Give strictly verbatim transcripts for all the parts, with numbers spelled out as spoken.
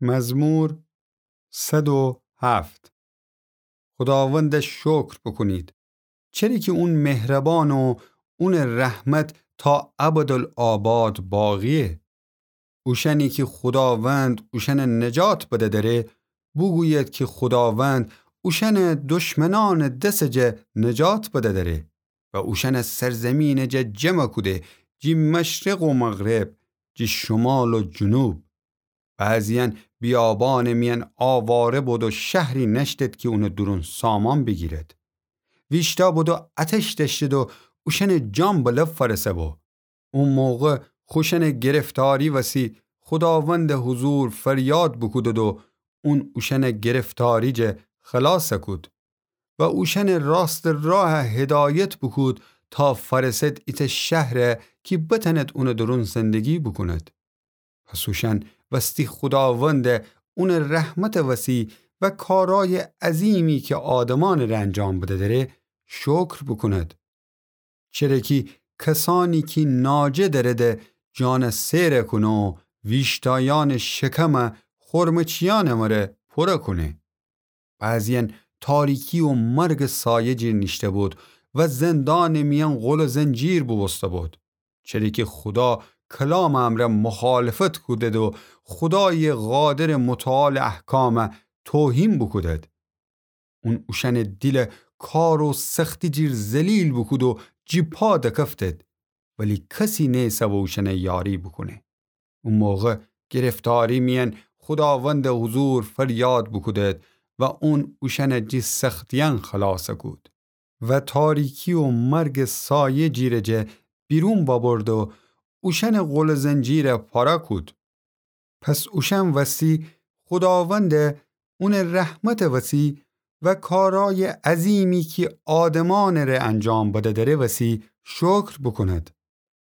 مزمور صد و هفت. خوداوند شکر بوکونید، چره کی اون مهربان و اون رحمت تا ابدالآباد باقیه. اوشأنی کی خوداوند اوشأن نجات بده‌دره، بوگوید کی خوداوند اوشأن دشمنأنٚ دسٚ جا نجات بده‌دره و اوشأن سرزیمینٚ جا جمع کوده، جی مشرق و مغرب، جی شمال و جنوب. بعضیأن بیابانٚ میأن آواره بودو شهری نأشتید کی اونٚ دورون سامان بیگیرید. ویشتأ بودو آتش دأشتید و اوشأنٚ جان به لب فأرسه بو. او موقع خوشأنٚ گرفتاری وسی خوداوندٚ حضور فریاد بوکودید و اون اوشأن گرفتاری جا خلاص کود و اوشأن راستٚ راه هدایت بوکود تا فأرسد ایتأ شهر کی بتأنید اونٚ دورون زندگی بوکونید. پس اوشأن وستی خوداوند اونٚ رحمتٚ وسی و کارأیٚ عظیمی کی آدمأنٚ ره انجام بده‌دره شکر بوکونید. چره کی کسأنی کی ناجه دأرده جان سیر کونه و ویشتایأنٚ شکم خورمچیأنٚ مره پور کونه. بعضیأن تاریکی و مرگٚ سایه جیر نیشته بود و زندانٚ میأن قل و زنجیر بوبوسته بود. چره کی خودا کلامٚ امرأ مخالفت کودید و خودایٚ قادرٚ متعالٚ احکام توهین بوکودید. اون اوشأنٚ دیل کار و سختی جیر ذلیل بوکود و جی پا دکفتید، ولی کسی نیسه و اوشأن یاری بوکونه. او موقع گرفتاری میأن خوداوندٚ حضور فریاد بوکودید و اون اوشأن جی سختیأن خلاص کود و تاریکی و مرگٚ سایه جیرٚ جا بیرون وأبرد و اوشأنٚ قل و زنجیر پاره کود. پس اوشأن وستی خوداوند اونٚ رحمتٚ وسی و کارأیٚ عظیمی کی آدمأنٚ ره انجام بده‌دره وسی شکر بوکونید.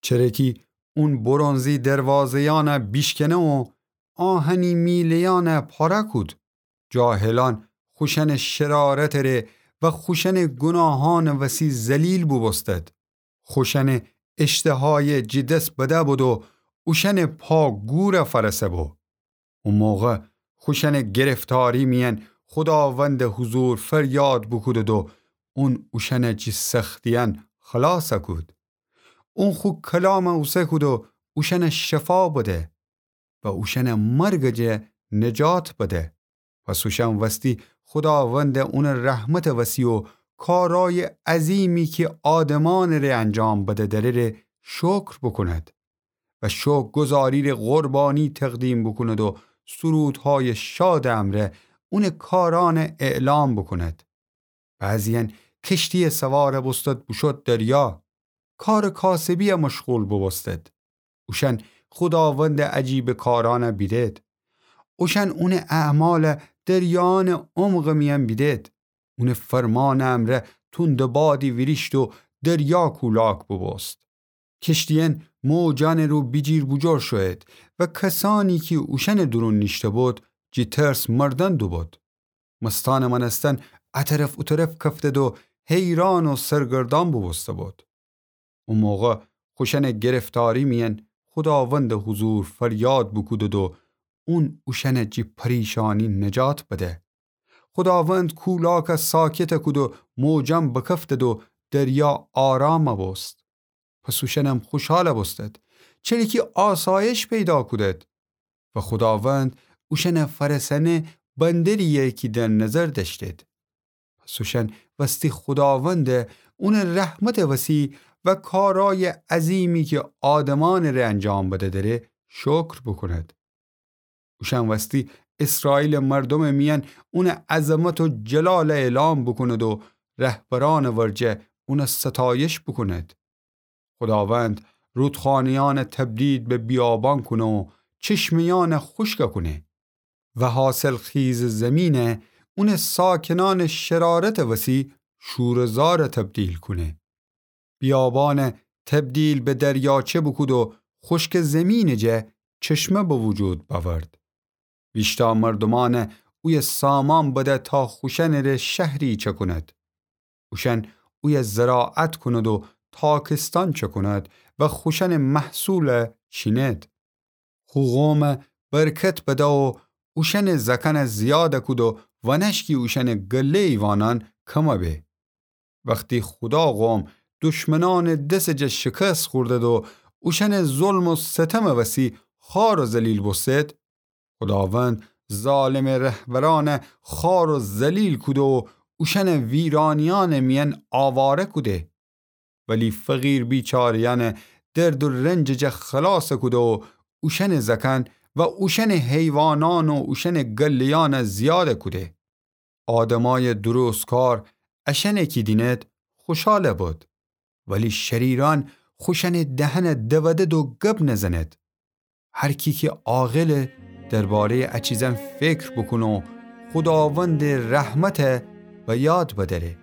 چره کی اون برنزی دروازه‌یأن بیشکنه و آهنی میله‌یأن پاره کود. جاهلأن خوشأنٚ شرارتٚ ره و خوشأنٚ گوناهأنٚ وسی ذلیل بوبوستید. خوشأنٚ اشتهایٚ جی دس بده بود و اوشأنٚ پا گور فأرسه بو. او موقع خوشأنٚ گرفتاری میأن خوداوندٚ حضور فریاد بوکودید و اون اوشأن جی سختیأن خلاص کود. اون خو کلام اوسه کود و اوشأن شفا بده و اوشأن مرگٚ جا نجات بده. پس اوشأن وستی خوداوند اونٚ رحمتٚ وسی و کارأیٚ عظیمی کی آدمأنٚ ره انجام بده‌دره ره شکر بوکونید و شکرگزاری ره قربانی تقدیم بوکونید و سرودهایٚ شادٚ امرأ اونٚ کارأن اعلام بوکونید. بعضیأن کشتی سوار بوستید بوشود دریا، کارٚ کاسبی مشغول بوبوستید. اوشأن خوداوندٚ عجیبٚ کارأن بیدید. اوشأن اونٚ اعمال دریایأنٚ عمقٚ میأن بیدید. اونٚ فرمانٚ امرأ توندٚ بادی ویریشت و دریا کولاک بوبوست. کشتیأن موجأنٚ رو بیجیر بوجور شویید و کسأنی کی اوشأنٚ دورون نیشته بود، جی ترس مردن دوبود. مستأنٚ مأنستن ا طرف او طرف کفتید و حیران و سرگردأن بوبوسته بود. او موقع خوشأنٚ گرفتاری میأن خوداوندٚ حضور فریاد بوکودید و اون اوشأن جی پریشانی نجات بده. خوداوند کولاک ساکت کود و موجأن بکفتید و دریا آرام بوست. پس اوشأنم خوشحال بوستید، چره کی آسایش پیدا کودید و خوداوند اوشأن فأرسأنه بندریی کی در نظر دأشتید. پس اوشأن وستی خوداوند اونٚ رحمتٚ وسی و کارأیٚ عظیمی کی آدمأنٚ ره انجام بده‌دره شکر بوکونید. اوشأن وستی اسرائیلٚ مردومٚ میأن اونٚ عظمت و جلال اعلام بوکونید و رهبرأنٚ ورجه اون ستایش بوکونید. خوداوند رودخانه‌یأن تبدیل به بیابان کونه و چشمه‌یأن خوشک کونه و حاصلخیزٚ زیمین اونٚ ساکنأنٚ شرارتٚ وسی شورٚ زار تبدیل کونه. بیابان تبدیل به دریاچه بوکود و خوشکٚ زیمینٚ جه چشمه به وجود بأورد. ویشتأ مردومأن اویه سامان بده تا خوشأنٚ ره شهری چکونید. اوشأن اویه زراعت کونید و تاکستأن چکونید و خوشأنٚ محصول چینید. خو قوم برکت بده و اوشأنٚ زأکأنَ زیادَ کود و ونشکی اوشأنٚ گله ایوانأن کمَ به. وختی خودا قوم دشمنأنٚ دسٚ جا شکست خوردد و اوشأنٚ ظلم و ستمٚ وسی خوار و ذلیل بوستد، خوداوند ظالمٚ رهبرأنَ خوار و ذلیل کود و اوشأنَ ویرانیأنٚ میأن آواره کوده. ولی فقیر بیچاره‌یأنَ درد و رنجٚ جا خلاصَ کوده و اوشأنٚ زأکأن و اوشأنٚ حیوانأن و اوشأنٚ گله‌یأنَ زیادَ کوده. آدمأیٚ درستکار اشأنَ کی دینید خوشحالَ بد، ولی شریرأن خوشأنٚ دهنَ دودد و گب نزنید. هر کی کی عاقله درباره‌یٚ ا چیزأن فکر بوکونه و خوداوندٚ رحمتَ به یاد بدأره.